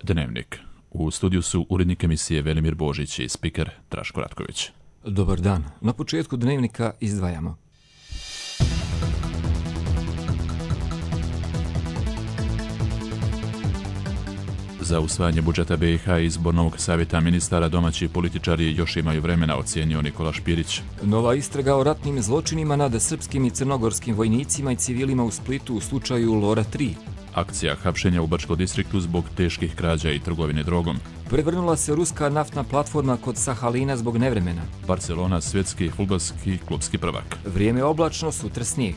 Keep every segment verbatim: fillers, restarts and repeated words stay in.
Dnevnik. U studiju su urednik emisije Velimir Božić i spiker Draško Ratković. Dobar dan. Na početku Dnevnika izdvajamo. Za usvajanje budžeta B i H i izbor novog savjeta ministara domaći političari još imaju vremena, ocijenio Nikola Špirić. Nova istraga o ratnim zločinima nad srpskim i crnogorskim vojnicima i civilima u Splitu u slučaju Lora tri. Akcija hapšenja u Bačkom distriktu zbog teških krađa i trgovine drogom. Prevrnula se ruska naftna platforma kod Sahalina zbog nevremena. Barcelona svjetski fudbalski klubski prvak. Vrijeme oblačno, sutra snijeg.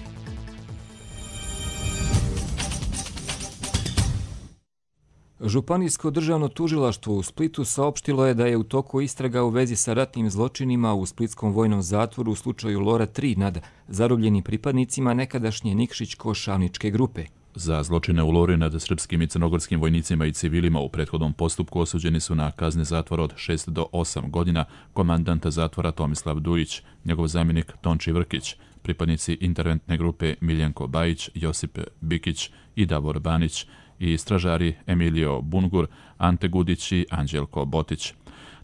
Županijsko državno tužilaštvo u Splitu saopštilo je da je u toku istraga u vezi sa ratnim zločinima u splitskom vojnom zatvoru u slučaju Lora tri nad zarobljenim pripadnicima nekadašnje Nikšić-Košavničke grupe. Za zločine u Lori nad srpskim i crnogorskim vojnicima i civilima u prethodnom postupku osuđeni su na kazne zatvora od šest do osam godina komandant zatvora Tomislav Dujić, njegov zamjenik Tonči Vrkić, pripadnici interventne grupe Miljenko Bajić, Josip Bikić i Davor Banić i stražari Emilio Bungur, Ante Gudić i Anđelko Botić.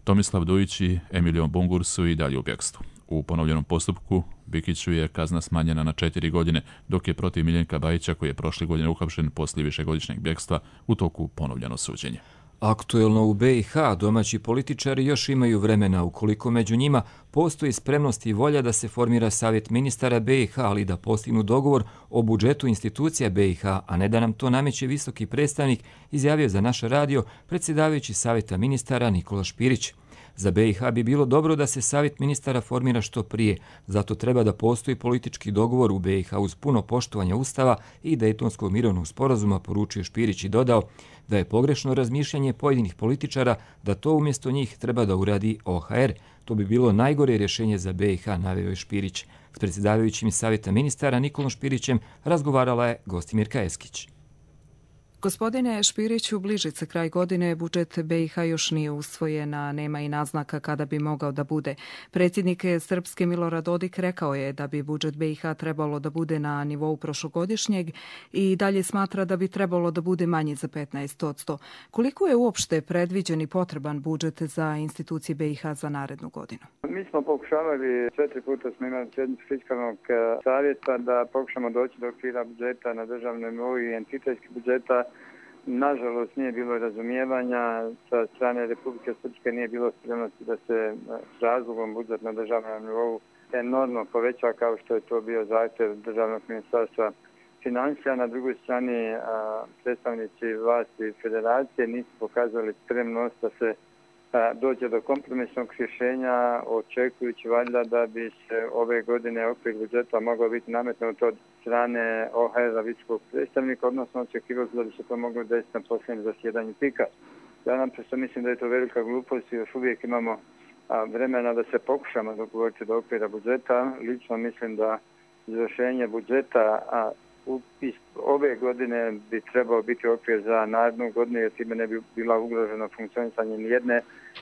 Tomislav Dujić i Emilio Bungur su i dalje u bjegstvu. U ponovljenom postupku Bikiću je kazna smanjena na četiri godine, dok je protiv Miljenka Bajića, koji je prošle godine uhapšen poslije višegodišnjeg bjegstva, u toku ponovljeno suđenje. Aktuelno u B i H domaći političari još imaju vremena ukoliko među njima postoji spremnost i volja da se formira savjet ministara B i H, ali da postignu dogovor o budžetu institucija B i H, a ne da nam to nameće visoki predstavnik, izjavio za naš radio predsjedavajući savjeta ministara Nikola Špirić. Za B i H bi bilo dobro da se savjet ministara formira što prije, zato treba da postoji politički dogovor u B i H uz puno poštovanja Ustava i Dejtonskog mirovnog sporazuma, poručio Špirić i dodao da je pogrešno razmišljanje pojedinih političara da to umjesto njih treba da uradi O H R. To bi bilo najgore rješenje za B i H, naveo je Špirić. S predsjedavajućim savjeta ministara Nikolom Špirićem razgovarala je Gostimirka Eskić. Gospodine Špiriću, bliži se kraj godine, budžet B i H još nije usvojen, a nema i naznaka kada bi mogao da bude. Predsjednik Srpske Milorad Dodik rekao je da bi budžet B i H trebalo da bude na nivou prošlogodišnjeg i dalje smatra da bi trebalo da bude manji za petnaest posto. Koliko je uopšte predviđen i potreban budžet za institucije B i H za narednu godinu? Mi smo pokušavali, četiri puta smo imali sjednicu fiskalnog savjeta da pokušamo doći do okvira budžeta na državnom nivou i entitetskih budžeta. Nažalost, nije bilo razumijevanja sa strane Republike Srpske, nije bilo spremnosti da se s razlogom budžet na državnom nivou enormno poveća kao što je to bio zahtjev državnog ministarstva financija. Na drugoj strani predstavnici vlasti federacije nisu pokazali spremnost da se dođe do kompromisnog rješenja, očekujući valjda da bi se ove godine okvir budžeta mogao biti nametnut od strane O H R-a visokog predstavnika, odnosno očekivao da bi se to moglo desiti na posljednjem zasjedanju pika. Ja naprosto mislim da je to velika glupost i još uvijek imamo vremena da se pokušamo dogovoriti do okvira budžeta. Lično mislim da izvršenje budžeta a ove godine bi trebao biti okvir za narednu godinu, jer time ne bi bila ugrožena funkcionisanje nijedne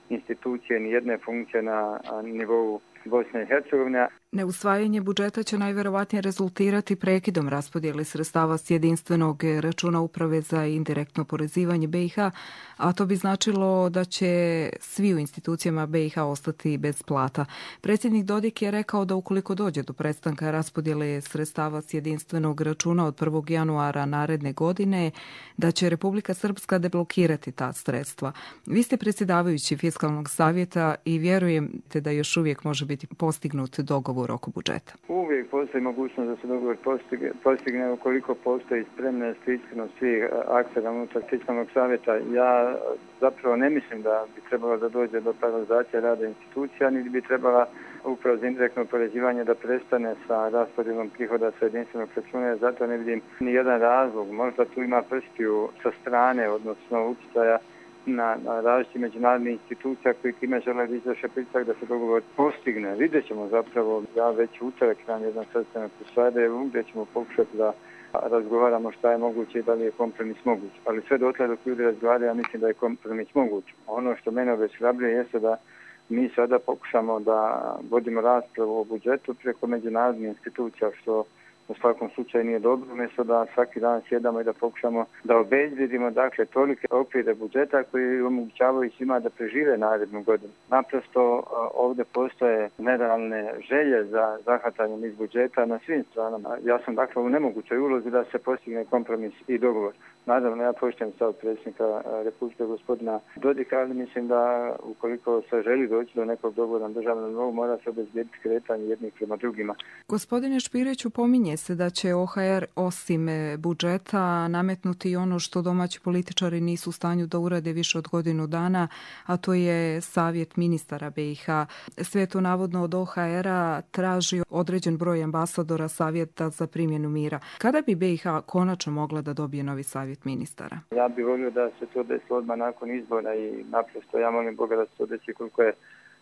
institucije, nijedne funkcije na nivou Bosne i Hercegovine. Neusvajanje budžeta će najverovatnije rezultirati prekidom raspodjele sredstava s jedinstvenog računa Uprave za indirektno porezivanje B i H, a to bi značilo da će svi u institucijama B i H ostati bez plata. Predsjednik Dodik je rekao da ukoliko dođe do prestanka raspodjele sredstava s jedinstvenog računa od prvog januara naredne godine, da će Republika Srpska deblokirati ta sredstva. Vi ste predsjedavajući fiskalnog savjeta i vjerujete da još uvijek može biti postignut dogovor oko budžeta. Uvijek postoji mogućnost da se dogovor postigne, postigne ukoliko postoji spremnost i iskrenost svih aktera unutar fiskalnog savjeta. Ja zapravo ne mislim da bi trebalo da dođe do paralizacije rada institucija, niti bi trebala Uprava za indirektno oporezivanje da prestane sa raspodjelom prihoda sa jedinstvenog računa. Zato ne vidim ni jedan razlog. Možda tu ima prstiju sa strane, odnosno utjecaja na, na različite međunarodne institucija koji time žele da izvrše pritisak da se dogovor postigne. Vidjet ćemo zapravo, ja već utorak imam jedan sastanak u Sarajevu gdje ćemo pokušati da razgovaramo šta je moguće i da li je kompromis moguć. Ali sve dotle dok ljudi razgovaraju, ja mislim da je kompromis moguć. Ono što mene obeshrabruje jeste da mi sada pokušamo da vodimo raspravu o budžetu preko međunarodnih institucija, što u svakom slučaju nije dobro, umjesto da svaki dan sjedamo i da pokušamo da obezbjedimo dakle tolike okvire budžeta koji omogućavaju svima da prežive narednu godinu. Naprosto ovdje postoje nerealne želje za zahvatanjem iz budžeta na svim stranama. Ja sam dakle u nemogućoj ulozi da se postigne kompromis i dogovor. Naravno, ja poštujem stav predsjednika Republike gospodina Dodika, ali mislim da ukoliko se želi doći do nekog dogovora na državnom nivou, mora se obezbijediti kretanje jednih prema drugima. Gospodine Špiriću, pominje se da će O H R osim budžeta nametnuti i ono što domaći političari nisu u stanju da urade više od godinu dana, a to je savjet ministara B i H. Sve to navodno od O H R-a traži određen broj ambasadora savjeta za primjenu mira. Kada bi B i H konačno mogla da dobije novi savjet ministara? Ja bih volio da se to desi odmah nakon izbora i naprosto ja molim Boga da se to desi koliko je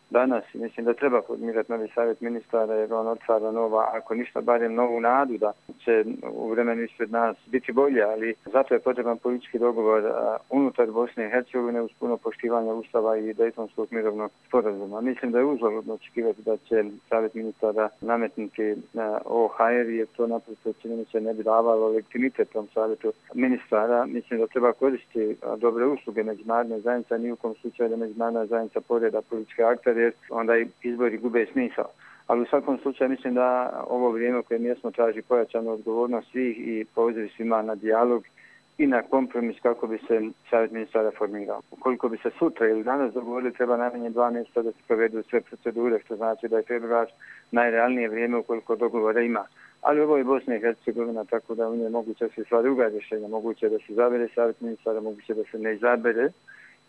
danas. Mislim da treba formirati novi savjet ministara jer on otvara nova, ako ništa barem novu nadu da će u vremenu ispred nas biti bolje, ali zato je potreban politički dogovor unutar Bosne i Hercegovine uz puno poštivanja Ustava i Dejtonskog mirovnog sporazuma. Mislim da je uzaludno očekivati da će savjet ministara nametnuti O H R jer to naprosto čini mi se ne bi davalo legitimitet tom savjetu ministara. Mislim da treba koristiti dobre usluge međunarodne zajednice, ni u kom slučaju da međunarodna zajednica poreda političke aktere jer onda izbori gube smisao. Ali u svakom slučaju mislim da ovo vrijeme koje mjesno traži pojačanu odgovornost svih i poziv svima na dijalog i na kompromis kako bi se savjet ministara formirao. Ukoliko bi se sutra ili danas dogovorili, treba najmanje dva mjeseca da se provedu sve procedure, što znači da je februar najrealnije vrijeme ukoliko dogovora ima. Ali ovo je Bosna i Hercegovina, tako da u njoj moguće se sva druga rješenja, moguće da se izabere savjet ministara, moguće da se ne izabere.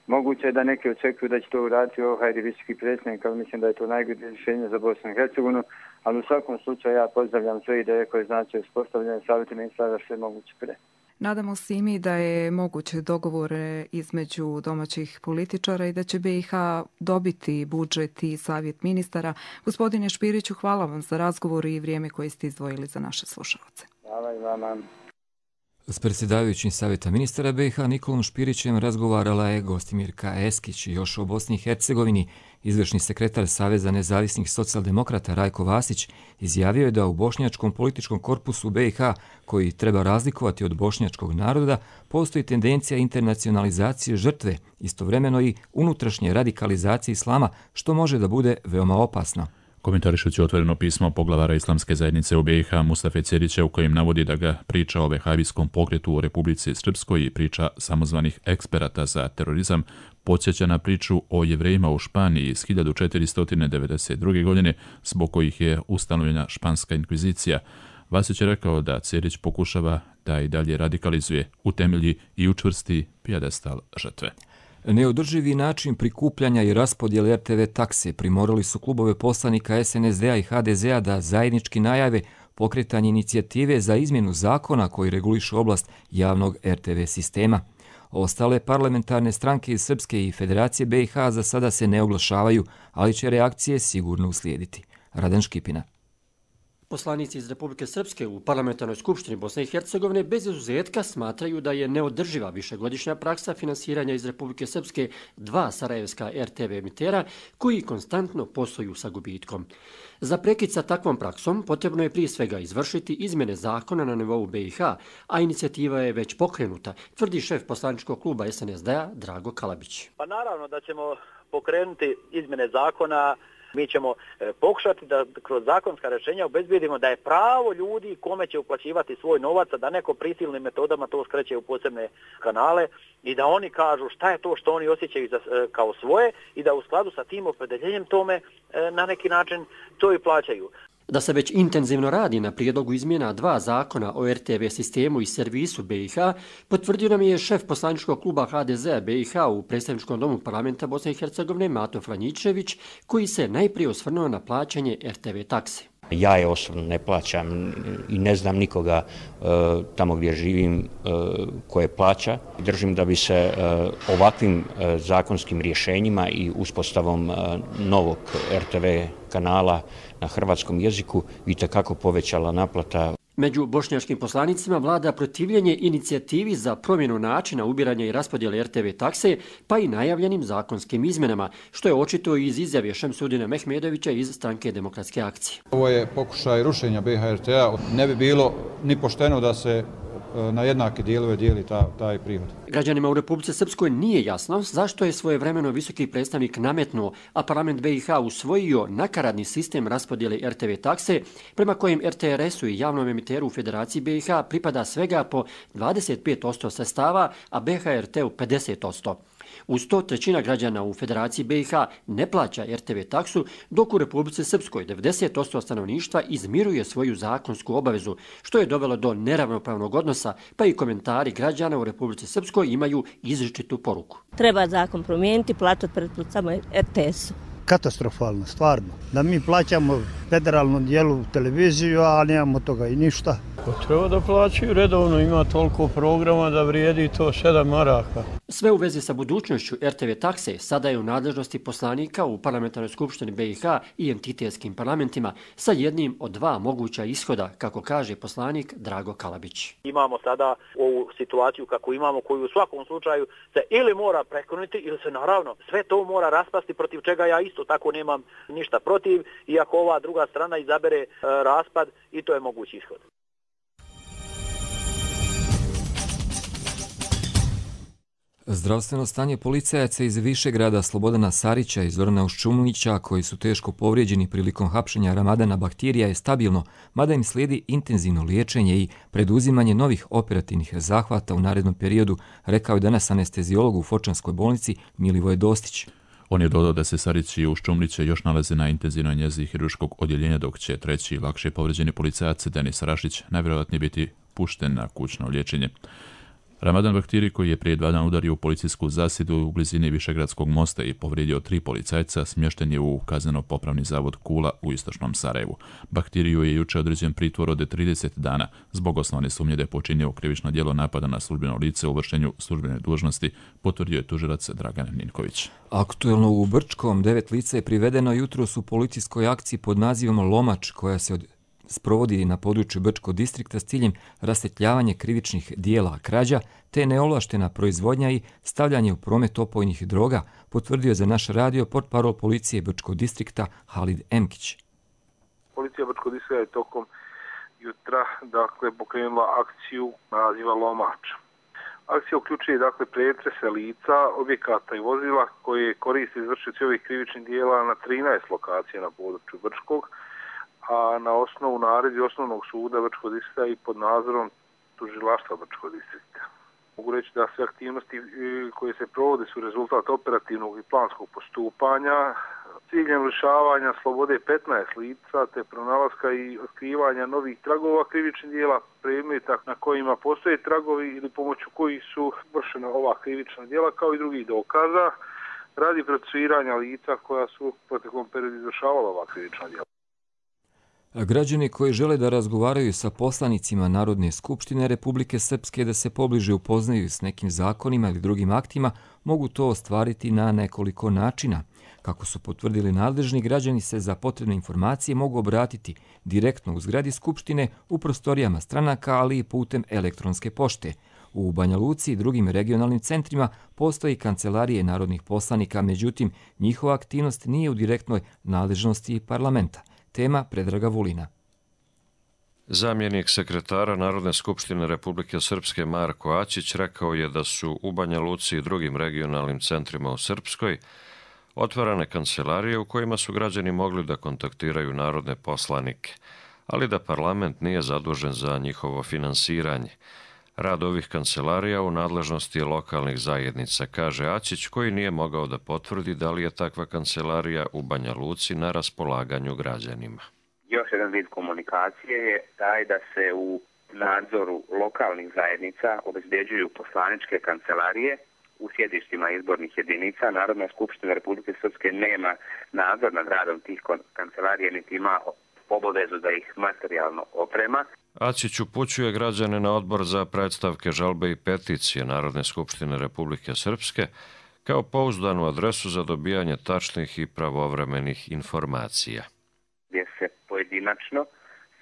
Moguće je da neki očekuju da će to uraditi O H R i visoki predsjednik, ali mislim da je to najbolje rješenje za Bosnu i Hercegovinu, ali u svakom slučaju ja pozdravljam sve ideje koje znači uspostavljanje savjeta ministara sve moguće pre. Nadamo se i mi da je moguće dogovor između domaćih političara i da će B i H dobiti budžet i savjet ministara. Gospodine Špiriću, hvala vam za razgovor i vrijeme koje ste izdvojili za naše slušalce. Hvala i vama. S predsjedavajućim savjeta ministara B i H Nikolom Špirićem razgovarala je Gostimirka Eskić. Još o Bosni i Hercegovini izvršni sekretar Saveza nezavisnih socijaldemokrata Rajko Vasić izjavio je da u bošnjačkom političkom korpusu B i H, koji treba razlikovati od bošnjačkog naroda, postoji tendencija internacionalizacije žrtve, istovremeno i unutrašnje radikalizacije islama, što može da bude veoma opasno. Komentarišući otvoreno pismo poglavara Islamske zajednice u B i H Mustafe Cerića u kojem navodi da ga priča o vehabijskom pokretu u Republici Srpskoj i priča samozvanih eksperata za terorizam podsjeća na priču o Jevrejima u Španiji iz hiljadu četiristo devedeset druge. godine zbog kojih je ustanovljena španska inkvizicija. Vasić je rekao da Cerić pokušava da i dalje radikalizuje, utemelji i učvrsti pijedestal žrtve. Neodrživi način prikupljanja i raspodjele R T V takse primorali su klubove poslanika S N S D-a i H D Z-a da zajednički najave pokretanje inicijative za izmjenu zakona koji reguliše oblast javnog R T V sistema. Ostale parlamentarne stranke iz Srpske i Federacije B i H za sada se ne oglašavaju, ali će reakcije sigurno uslijediti. Radan Škipina. Poslanici iz Republike Srpske u Parlamentarnoj skupštini Bosne i Hercegovine bez izuzetka smatraju da je neodrživa višegodišnja praksa finansiranja iz Republike Srpske dva sarajevska R T V emitera koji konstantno posluju sa gubitkom. Za prekid sa takvom praksom potrebno je prije svega izvršiti izmjene zakona na nivou B i H, a inicijativa je već pokrenuta, tvrdi šef poslaničkog kluba S N S D-a Drago Kalabić. Pa naravno da ćemo pokrenuti izmjene zakona. Mi ćemo pokušati da kroz zakonska rješenja obezbijedimo da je pravo ljudi kome će uplaćivati svoj novac, a da neko prisilnim metodama to skreće u posebne kanale i da oni kažu šta je to što oni osjećaju kao svoje i da u skladu sa tim opredeljenjem tome na neki način to i plaćaju. Da se već intenzivno radi na prijedlogu izmjena dva zakona o R T V sistemu i servisu B i H, potvrdio nam je šef poslaničkog kluba H D Z-a B i H u predstavničkom domu parlamenta Bosne i Hercegovine Mato Franjičević, koji se najprije osvrnuo na plaćanje R T V takse. Ja je osobno ne plaćam i ne znam nikoga uh, tamo gdje živim uh, koje plaća. Držim da bi se uh, ovakvim uh, zakonskim rješenjima i uspostavom uh, novog R T V kanala na hrvatskom jeziku itekako povećala naplata. Među bošnjačkim poslanicima vlada protivljenje inicijativi za promjenu načina ubiranja i raspodjele er te ve takse, pa i najavljenim zakonskim izmjenama, što je očito iz izjave Šemsudina Mehmedovića iz Stranke demokratske akcije. Ovo je pokušaj rušenja be ha er te-a. Ne bi bilo ni pošteno da se na jednake dijelove dijeli ta, taj prihod. Građanima u Republici Srpskoj nije jasno zašto je svojevremeno visoki predstavnik nametnuo, a parlament be i ha usvojio nakaradni sistem raspodjele er te ve takse, prema kojem er te er esu i javnom emiteru u Federaciji be i ha pripada svega po dvadeset pet posto sredstava, a be ha er te-u pedeset posto. Uz to trećina građana u Federaciji be i ha ne plaća er te ve taksu, dok u Republici Srpskoj devedeset posto stanovništva izmiruje svoju zakonsku obavezu, što je dovelo do neravnopravnog odnosa, pa i komentari građana u Republici Srpskoj imaju izričitu poruku. Treba zakon promijeniti, plaćati pretplatu samo er te esu. Katastrofalno, stvarno. Da mi plaćamo federalnom dijelu televiziju, a nemamo toga i ništa. Treba da plaćaju redovno, ima toliko programa da vrijedi to sedam maraka. Sve u vezi sa budućnošću er te ve takse sada je u nadležnosti poslanika u Parlamentarnoj skupštini be i ha i entitetskim parlamentima sa jednim od dva moguća ishoda, kako kaže poslanik Drago Kalabić. Imamo sada ovu situaciju kako imamo, koju u svakom slučaju se ili mora prekinuti ili se naravno sve to mora raspasti, protiv čega ja isto tako nemam ništa protiv, iako ova druga strana izabere e, raspad, i to je mogući ishod. Zdravstveno stanje policajaca iz Višegrada Slobodana Sarića i Zorana Uščumunića, koji su teško povrijeđeni prilikom hapšenja Ramadana Bahtirija, je stabilno, mada im slijedi intenzivno liječenje i preduzimanje novih operativnih zahvata u narednom periodu, rekao je danas anestezijolog u Fočanskoj bolnici Milivoje Dostić. On je dodao da se Sarić i Uščumliće još nalaze na intenzivnoj njezi hirurškog odjeljenja, dok će treći lakše povrijeđeni policajac Denis Rašić najvjerojatnije biti pušten na kućno liječenje. Ramadan Bahtiri, koji je prije dva dana udario u policijsku zasjedu u blizini Višegradskog mosta i povrijedio tri policajca, smješten je u kazneno-popravni zavod Kula u istočnom Sarajevu. Bahtiriju je juče određen pritvor od trideset dana zbog osnovne sumnje da je počinio krivično djelo napada na službeno lice u vršenju službene dužnosti, potvrdio je tužilac Dragan Ninković. Aktuelno u Brčkom devet lica je privedeno jutros u policijskoj akciji pod nazivom Lomač, koja se od sprovodi na području Brčkog distrikta s ciljem rasvjetljavanje krivičnih dijela krađa te neovlaštena proizvodnja i stavljanje u promet opojnih droga, potvrdio za naš radio portparol policije Brčkog distrikta Halid Emkić. Policija Brčkog distrikta je tokom jutra dakle, pokrenula akciju naziva Lomač. Akcija uključuje dakle, pretrese lica, objekata i vozila koje koriste izvršioci ovih krivičnih dijela na trinaest lokacija na području Brčkog, a na osnovu naredbi osnovnog suda Brčkog distrikta i pod nadzorom tužilaštva Brčkog distrikta. Mogu reći da sve aktivnosti koje se provode su rezultat operativnog i planskog postupanja, ciljem lišavanja slobode petnaest lica te pronalaska i otkrivanja novih tragova krivičnih dijela, predmeta na kojima postoje tragovi ili pomoću kojih su vršena ova krivična dijela, kao i drugih dokaza, radi procesuiranja lica koja su u proteklom periodu izvršavala ova krivična dijela. Građani koji žele da razgovaraju sa poslanicima Narodne skupštine Republike Srpske da se pobliže upoznaju s nekim zakonima ili drugim aktima, mogu to ostvariti na nekoliko načina. Kako su potvrdili nadležni, građani se za potrebne informacije mogu obratiti direktno u zgradi Skupštine, u prostorijama stranaka, ali i putem elektronske pošte. U Banja Luci i drugim regionalnim centrima postoji kancelarije narodnih poslanika, međutim, njihova aktivnost nije u direktnoj nadležnosti parlamenta. Tema Predraga Vulina. Zamjenik sekretara Narodne skupštine Republike Srpske Marko Ačić rekao je da su u Banja Luci i drugim regionalnim centrima u Srpskoj otvarane kancelarije u kojima su građani mogli da kontaktiraju narodne poslanike, ali da parlament nije zadužen za njihovo finansiranje. Rad ovih kancelarija u nadležnosti je lokalnih zajednica, kaže Ačić, koji nije mogao da potvrdi da li je takva kancelarija u Banja Luci na raspolaganju građanima. Još jedan vid komunikacije je taj da se u nadzoru lokalnih zajednica obezbeđuju poslaničke kancelarije u sjedištima izbornih jedinica. Narodna skupština Republike Srpske nema nadzor nad radom tih kancelarija, niti ima obavezu da ih materijalno oprema. Ačić upućuje građane na odbor za predstavke, žalbe i peticije Narodne skupštine Republike Srpske kao pouzdanu adresu za dobijanje tačnih i pravovremenih informacija. Gdje se pojedinačno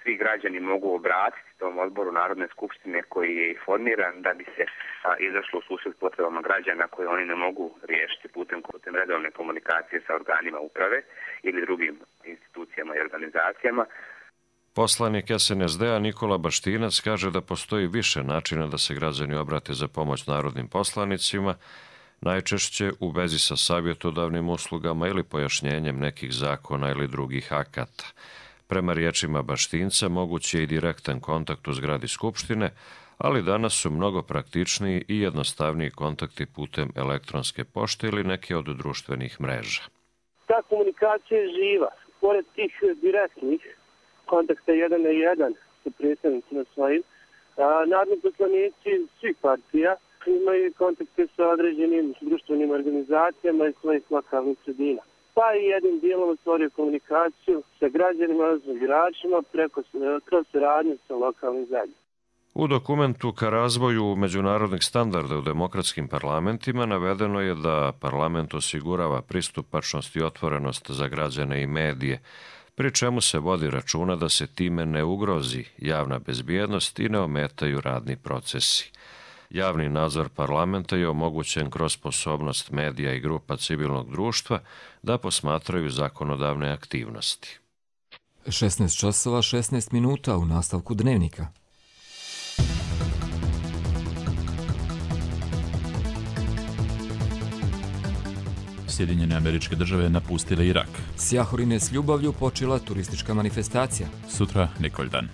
svi građani mogu obratiti tom odboru Narodne skupštine koji je formiran da bi se a, izašlo u susret potrebama građana koje oni ne mogu riješiti putem, putem redovne komunikacije sa organima uprave ili drugim institucijama i organizacijama. Poslanik S N S D-a Nikola Baštinac kaže da postoji više načina da se građani obrate za pomoć narodnim poslanicima, najčešće u vezi sa savjetodavnim uslugama ili pojašnjenjem nekih zakona ili drugih akata. Prema riječima Baštinca moguće je i direktan kontakt u zgradi Skupštine, ali danas su mnogo praktičniji i jednostavniji kontakti putem elektronske pošte ili neke od društvenih mreža. Ta komunikacija je živa. Pored tih direktnih kontakta jedan na jedan sa predstavnicima svojim, narodni poslanici svih partija imaju kontakte sa određenim društvenim organizacijama iz svojih lokalnih sredina. Pa i jednim dijelom stvorio komunikaciju sa građanima, sa biračima preko kroz saradnju sa lokalnim zajednicama. U dokumentu ka razvoju međunarodnih standarda u demokratskim parlamentima navedeno je da parlament osigurava pristupačnost i otvorenost za građane i medije, pri čemu se vodi računa da se time ne ugrozi javna bezbjednost i ne ometaju radni procesi. Javni nadzor parlamenta je omogućen kroz sposobnost medija i grupa civilnog društva da posmatraju zakonodavne aktivnosti. šesnaest časova šesnaest minuta u nastavku dnevnika. Sjedinjene Američke Države napustile Irak. S Jahorine s ljubavlju počela turistička manifestacija. Sutra Nikoldan.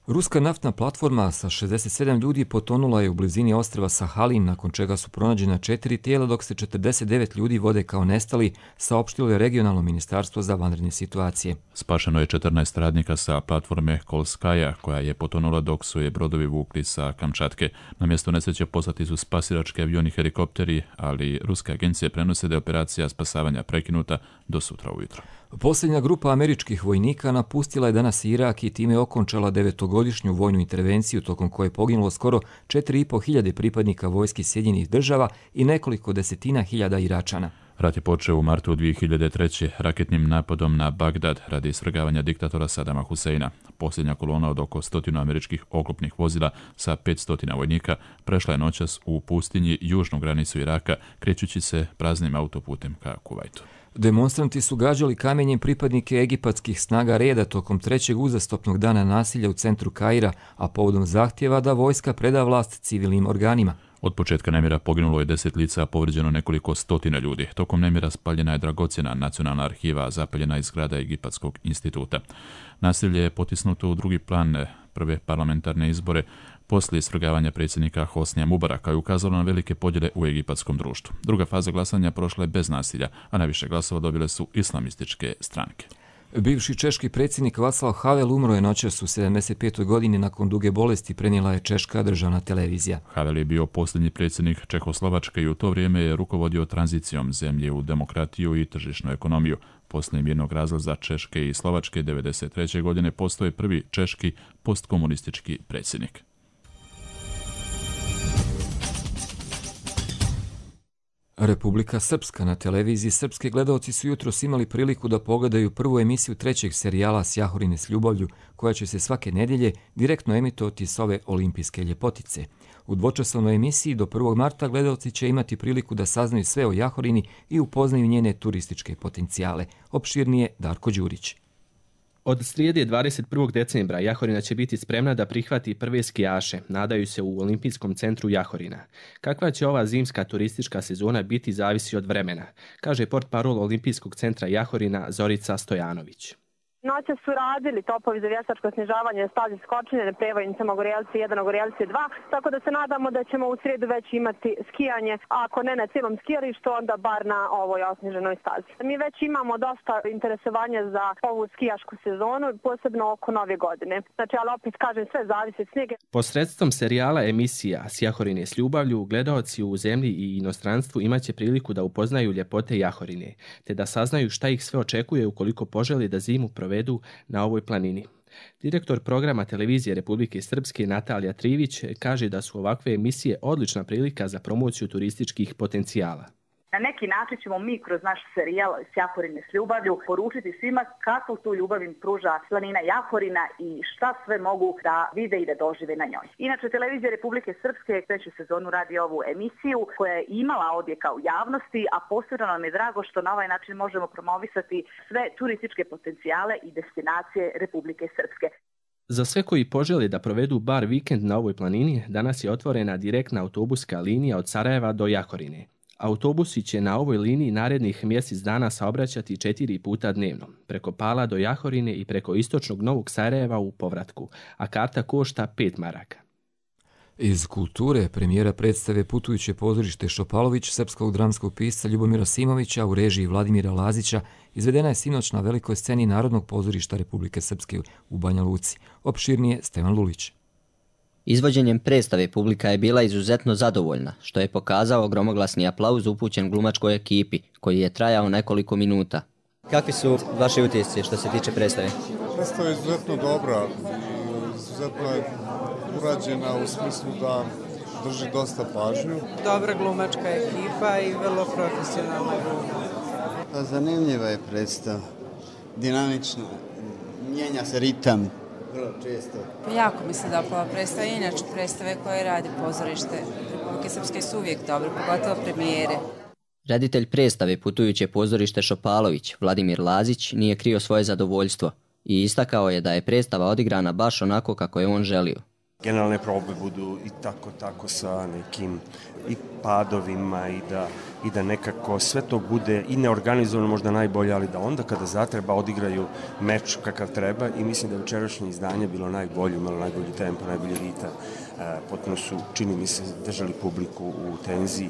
Ruska naftna platforma sa šezdeset sedam ljudi potonula je u blizini ostrva Sahalin, nakon čega su pronađena četiri tijela, dok se četrdeset devet ljudi vode kao nestali, saopštilo je regionalno ministarstvo za vanredne situacije. Spašeno je četrnaest radnika sa platforme Kolskaja, koja je potonula dok su je brodovi vukli sa Kamčatke. Na mjesto nesreće poslati su spasilački avioni i helikopteri, ali ruske agencije prenose da je operacija spasavanja prekinuta do sutra ujutro. Posljednja grupa američkih vojnika napustila je danas Irak i time okončala devetogodišnju vojnu intervenciju tokom koje je poginulo skoro četiri i po hiljade pripadnika vojski Sjedinjenih država i nekoliko desetina hiljada Iračana. Rat je počeo u martu dvije hiljade treće. raketnim napadom na Bagdad radi svrgavanja diktatora Sadama Huseina. Posljednja kolona od oko stotinu američkih oklopnih vozila sa petsto vojnika prešla je noćas u pustinji južnu granicu Iraka, krećući se praznim autoputem ka Kuvajtu. Demonstranti su gađali kamenjem pripadnike egipatskih snaga reda tokom trećeg uzastopnog dana nasilja u centru Kaira, a povodom zahtjeva da vojska preda vlast civilnim organima. Od početka nemira poginulo je deset lica, a povrijeđeno nekoliko stotina ljudi. Tokom nemira spaljena je dragocjena nacionalna arhiva, a zapaljena iz zgrada Egipatskog instituta. Nasilje je potisnuto u drugi plan prve parlamentarne izbore poslije svrgavanja predsjednika Hosnija Mubaraka i ukazalo na velike podjele u egipatskom društvu. Druga faza glasanja prošla je bez nasilja, a najviše glasova dobile su islamističke stranke. Bivši češki predsjednik Václav Havel umro je noćas u sedamdeset petoj godini nakon duge bolesti, prenijela je češka državna televizija. Havel je bio posljednji predsjednik Čehoslovačke i u to vrijeme je rukovodio tranzicijom zemlje u demokratiju i tržišnu ekonomiju. Poslije mirnog razlaza Češke i Slovačke devedeset treće godine postoje prvi češki postkomunistički predsjednik. Republika Srpska. Na televiziji srpske gledaoci su jutros imali priliku da pogledaju prvu emisiju trećeg serijala S Jahorine s ljubavlju, koja će se svake nedjelje direktno emitovati s ove olimpijske ljepotice. U dvočasovnoj emisiji do prvog marta gledaoci će imati priliku da saznaju sve o Jahorini i upoznaju njene turističke potencijale. Opširnije Darko Đurić. Od srijede dvadeset prvog decembra Jahorina će biti spremna da prihvati prve skijaše, nadaju se u Olimpijskom centru Jahorina. Kakva će ova zimska turistička sezona biti zavisi od vremena, kaže portparol Olimpijskog centra Jahorina Zorica Stojanović. Noće su radili topovi za vještačko snižavanje stazi skočine na prevojnicama Gorjelci jedan, Gorjelci dva, tako da se nadamo da ćemo u srijedu već imati skijanje, a ako ne na cijelom skijalištu, onda bar na ovoj osniženoj stazi. Mi već imamo dosta interesovanja za ovu skijašku sezonu, posebno oko nove godine. Znači, ali opet kažem, sve zavisi od snijega. Posredstvom serijala emisija S Jahorine s ljubavlju, gledaoci u zemlji i inostranstvu imaće priliku da upoznaju ljepote Jahorine, te da saznaju šta ih sve očekuje ukoliko poželi da zimu provedu na ovoj planini. Direktor programa televizije Republike Srpske Natalija Trivić kaže da su ovakve emisije odlična prilika za promociju turističkih potencijala. Na neki način ćemo mi kroz naš serijal Sjahorine s ljubavlju poručiti svima kako tu ljubav im pruža planina Jahorina i šta sve mogu da vide i da dožive na njoj. Inače, Televizija Republike Srpske treću sezonu radi ovu emisiju koja je imala odjeka u javnosti, a posebno nam je drago što na ovaj način možemo promovisati sve turističke potencijale i destinacije Republike Srpske. Za sve koji požele da provedu bar vikend na ovoj planini, danas je otvorena direktna autobuska linija od Sarajeva do Jahorine. Autobusi će na ovoj liniji narednih mjesec dana saobraćati četiri puta dnevno, preko Pala do Jahorine i preko istočnog Novog Sarajeva u povratku, a karta košta pet maraka. Iz kulture premijera predstave Putujuće pozorište Šopalović srpskog dramskog pisca Ljubomira Simovića u režiji Vladimira Lazića izvedena je sinoć na velikoj sceni Narodnog pozorišta Republike Srpske u Banja Luci. Opširnije Stevan Lulić. Izvođenjem predstave publika je bila izuzetno zadovoljna, što je pokazao gromoglasni aplauz upućen glumačkoj ekipi, koji je trajao nekoliko minuta. Kakvi su vaši utisci što se tiče predstave? Predstava je izuzetno dobra i izuzetno je urađena u smislu da drži dosta pažnju. Dobra glumačka ekipa i vrlo profesionalna gluma. Zanimljiva je predstava, dinamična, mijenja se ritam. Vrlo često. Jako mi se dopala predstava, inače predstave koje radi pozorište Republike Srpske su uvijek dobro, pogotovo premijere. Reditelj predstave Putujuće pozorište Šopalović, Vladimir Lazić, nije krio svoje zadovoljstvo i istakao je da je predstava odigrana baš onako kako je on želio. Generalne probe budu i tako tako sa nekim i padovima i da, i da nekako sve to bude i neorganizovano možda najbolje, ali da onda kada zatreba odigraju meč kakav treba i mislim da je večerašnje izdanje bilo najbolje, imalo najbolji tempo, najbolji ritam. E, potpuno su, čini mi se, držali publiku u tenziji.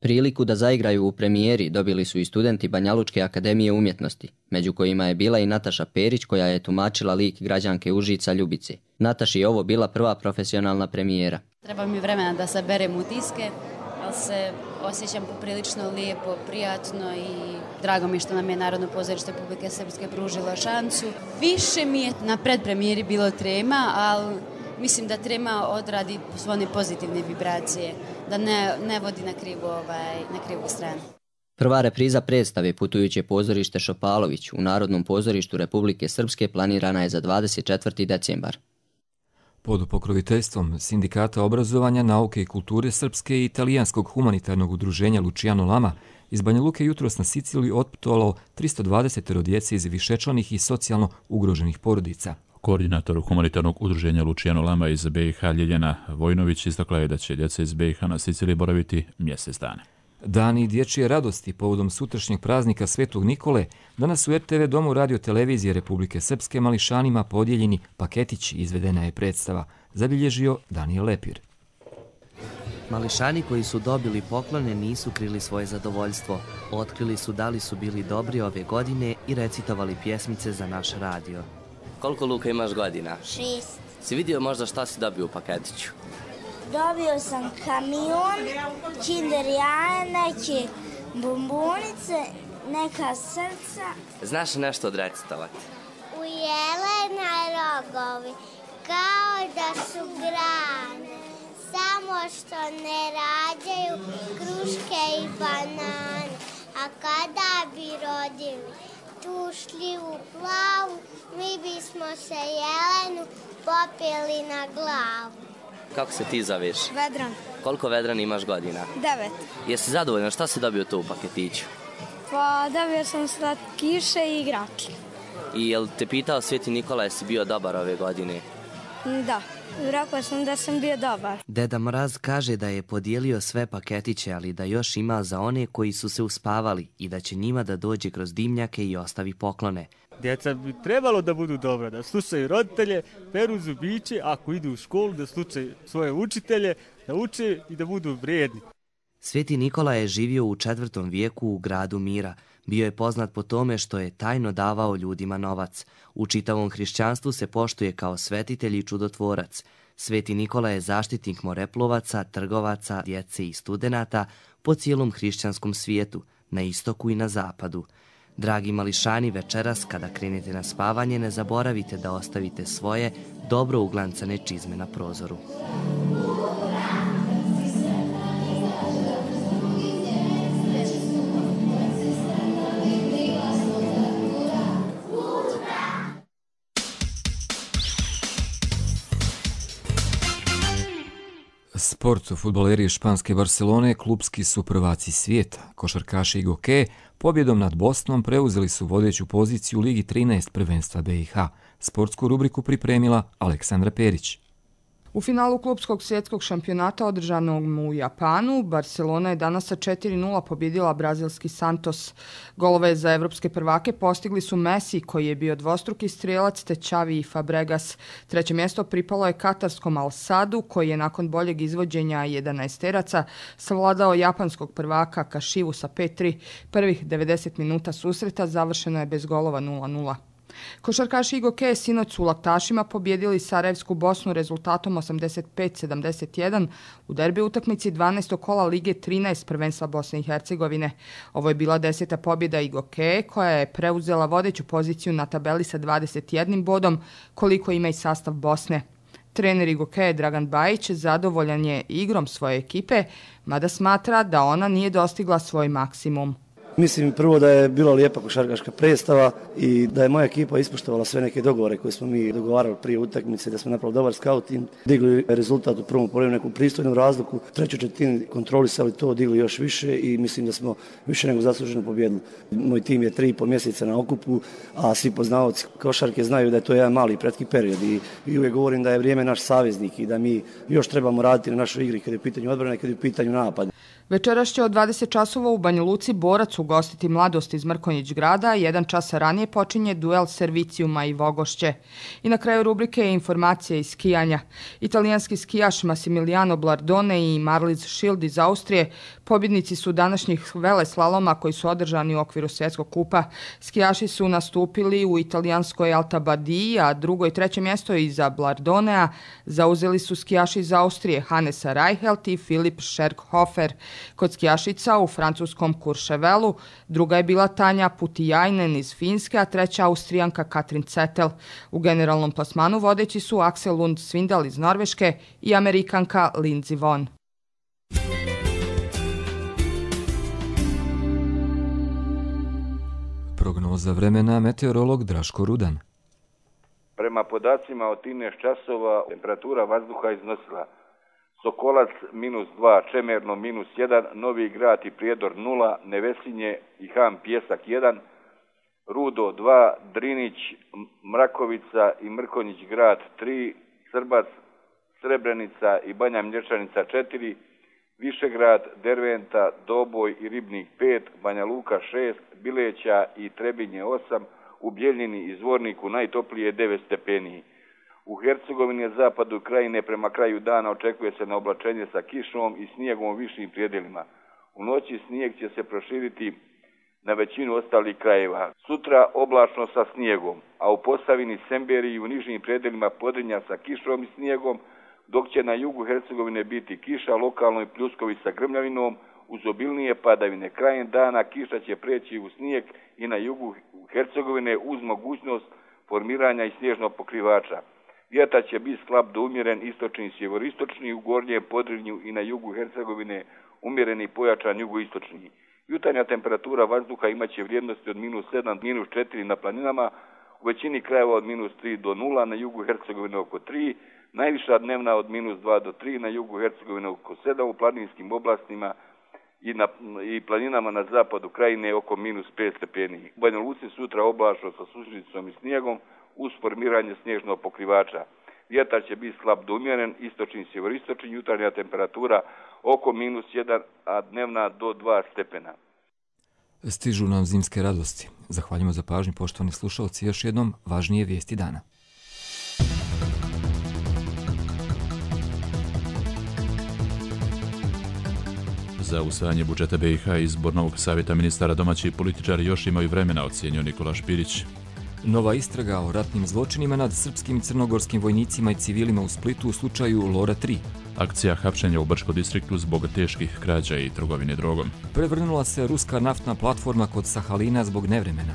Priliku da zaigraju u premijeri dobili su i studenti Banjalučke akademije umjetnosti, među kojima je bila i Nataša Perić koja je tumačila lik građanke Užica Ljubice. Nataši je ovo bila prva profesionalna premijera. Treba mi vremena da saberem utiske, ali se osjećam poprilično lijepo, prijatno i drago mi je što nam je Narodno pozorište Republike Srpske pružilo šansu. Više mi je na predpremijeri bilo trema, ali mislim da trema odradi svoje pozitivne vibracije, da ne, ne vodi na krivu, ovaj, na krivu stranu. Prva repriza predstave Putujuće pozorište Šopalović u Narodnom pozorištu Republike Srpske planirana je za dvadeset četvrti decembar. Pod pokroviteljstvom Sindikata obrazovanja, nauke i kulture Srpske i Italijanskog humanitarnog udruženja Luciano Lama iz Banja Luke jutros na Siciliju otputovalo tristo dvadeset djece iz višečlanih i socijalno ugroženih porodica. Koordinator humanitarnog udruženja Luciano Lama iz B i H Ljeljana Vojnović istakla je da će djeca iz B i H na Siciliji boraviti mjesec dana. Dani dječje radosti povodom sutrašnjeg praznika Svetog Nikole danas u R T V domu Radio televizije Republike Srpske mališanima podijeljeni paketići izvedena je predstava, zabilježio Danijel Lepir. Mališani koji su dobili poklone nisu krili svoje zadovoljstvo. Otkrili su da li su bili dobri ove godine i recitovali pjesmice za naš radio. Koliko, Luka, imaš godina? Šest. Si vidio možda šta si dobio u paketiću? Dobio sam kamion, kinder jaje, neke bombonice, neka srca. Znaš nešto odrecitovati? U jelena rogovi, kao da su grane, samo što ne rađaju kruške i banane. A kada bi rodili tu šljivu plavu, mi bismo se jelenu popili na glavu. Kako se ti zoveš? Vedran. Koliko, Vedran, imaš godina? Devet. Jesi zadovoljna? Šta si dobio tu u paketiću? Pa dobio sam slatkiše i igračke. I jel te pitao Sveti Nikola jesi bio dobar ove godine? Da, rekao sam da sam bio dobar. Deda Mraz kaže da je podijelio sve paketiće, ali da još ima za one koji su se uspavali i da će njima da dođe kroz dimnjake i ostavi poklone. Djeca bi trebalo da budu dobra, da slušaju roditelje, peru zubiće, ako idu u školu da slušaju svoje učitelje, da uče i da budu vrijedni. Sveti Nikola je živio u četvrtom vijeku u gradu Mira. Bio je poznat po tome što je tajno davao ljudima novac. U čitavom hrišćanstvu se poštuje kao svetitelj i čudotvorac. Sveti Nikola je zaštitnik moreplovaca, trgovaca, djece i studenata po cijelom hrišćanskom svijetu, na istoku i na zapadu. Dragi mališani, večeras kada krenete na spavanje ne zaboravite da ostavite svoje dobro uglancane čizme na prozoru. Sport. Fudbaleri španske Barcelone klupski su prvaci svijeta. Košarkaši i gokeje pobjedom nad Bosnom preuzeli su vodeću poziciju u Ligi trinaest prvenstva B i H. Sportsku rubriku pripremila Aleksandra Perić. U finalu klupskog svjetskog šampionata održanog u Japanu, Barcelona je danas sa četiri nula pobjedila brazilski Santos. Golove za evropske prvake postigli su Messi, koji je bio dvostruki strijelac, te Xavi i Fabregas. Treće mjesto pripalo je katarskom Al Sadu, koji je nakon boljeg izvođenja jedanaesteraca savladao japanskog prvaka Kashivu sa pet tri. Prvih devedeset minuta susreta završeno je bez golova nula nula. Košarkaši i gokeje sinoć su u Laktašima pobjedili Sarajevsku Bosnu rezultatom osamdeset pet sedamdeset jedan u derbi utakmici dvanaestog kola Lige trinaest prvenstva Bosne i Hercegovine. Ovo je bila deseta pobjeda i gokeje, koja je preuzela vodeću poziciju na tabeli sa dvadeset jednim bodom, koliko ima i sastav Bosne. Trener i gokeje Dragan Bajić zadovoljan je igrom svoje ekipe, mada smatra da ona nije dostigla svoj maksimum. Mislim prvo da je bila lijepa košarkaška predstava i da je moja ekipa ispoštovala sve neke dogovore koje smo mi dogovarali prije utakmice, da smo napravili dobar scouting, digli rezultat u prvom poluvremenu neku pristojnu razliku, treću četvrtinu kontrolisali to, digli još više i mislim da smo više nego zasluženo pobjedili. Moj tim je tri i pol mjeseca na okupu, a svi poznavaoci košarke znaju da je to jedan mali kratki period i, i uvijek govorim da je vrijeme naš saveznik i da mi još trebamo raditi na našoj igri kad je u pitanju odbrane, kad je u pitanju napad. Večeras će od dvadeset časova u Banja Luci Borac ugostiti Mladost iz Mrkonjić grada, jedan čas ranije počinje duel Servicijuma i Vogošće. I na kraju rubrike je informacija iz skijanja. Italijanski skijaš Massimiliano Blardone i Marlies Schild iz Austrije pobjednici su današnjih veleslaloma koji su održani u okviru svjetskog kupa. Skijaši su nastupili u italijanskoj Alta Badiji, a drugo i treće mjesto iza Blardonea zauzeli su skijaši iz Austrije Hannesa Reichelt i Filip Scherkhofer. Kod skijašica u francuskom Courchevelu druga je bila Tanja Putiainen iz Finske, a treća Austrijanka Katrin Cetel. U generalnom plasmanu vodeći su Axel Lund Svindal iz Norveške i Amerikanka Lindsey Vonn. Prognoza vremena meteorolog Draško Rudan. Prema podacima od trinaest časova temperatura vazduha iznosila Sokolac minus dva, Čemerno minus jedan, Novi Grad i Prijedor nula, Nevesinje i Ham Pjesak jedan, Rudo dva, Drinić, Mrakovica i Mrkonjić grad tri, Srbac, Srebrenica i Banja Mlječanica četiri, Višegrad, Derventa, Doboj i Ribnik pet, Banja Luka šest, Bileća i Trebinje osam, u Bjeljini i Zvorniku najtoplije devet stepeni. U Hercegovini i zapadu krajine prema kraju dana očekuje se na oblačenje sa kišom i snijegom u višim prijedelima. U noći snijeg će se proširiti na većinu ostalih krajeva. Sutra oblačno sa snijegom, a u Posavini, Semberiji i u nižim prijedelima Podrinja sa kišom i snijegom, dok će na jugu Hercegovine biti kiša, lokalno i pljuskovi sa grmljavinom, uz obilnije padavine. Krajem dana kiša će preći u snijeg i na jugu Hercegovine uz mogućnost formiranja i snježnog pokrivača. Vjetar će biti slab do umjeren istočni i sjeveristočni, u gornjem Podrinju i na jugu Hercegovine umjereni pojačan jugoistočni. Jutarnja temperatura vazduha imaće vrijednosti od minus sedam do minus četiri na planinama, u većini krajeva od minus tri do nula, na jugu Hercegovine oko tri, najviša dnevna od minus dva do tri, na jugu Hercegovine oko sedam, u planinskim oblastima i, na, i planinama na zapadu krajine oko minus pet stepeni. U Banja Luci sutra oblačno sa sušicom i snijegom uz formiranje snježnog pokrivača. Vjetar će biti slab do umjeren, istočni i sjeveristočni, jutarnja temperatura oko minus jedan, a dnevna do dva stepena. Stižu nam zimske radosti. Zahvaljujemo za pažnju, poštovani slušalci, još jednom važnije vijesti dana. Za usvajanje budžeta B i H i izbor novog savjeta ministara domaći političari još imaju vremena, ocijenio Nikola Špirić. Nova istraga o ratnim zločinima nad srpskim i crnogorskim vojnicima i civilima u Splitu u slučaju Lora tri. Akcija hapšenja u Brčko distriktu zbog teških krađa i trgovine drogom. Prevrnula se ruska naftna platforma kod Sahalina zbog nevremena.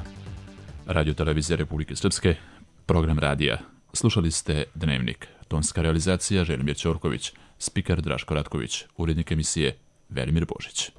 Radio televizija Republike Srpske, program radija. Slušali ste Dnevnik. Tonska realizacija Želimir Ćorković, spiker Draško Ratković, urednik emisije Velimir Božić.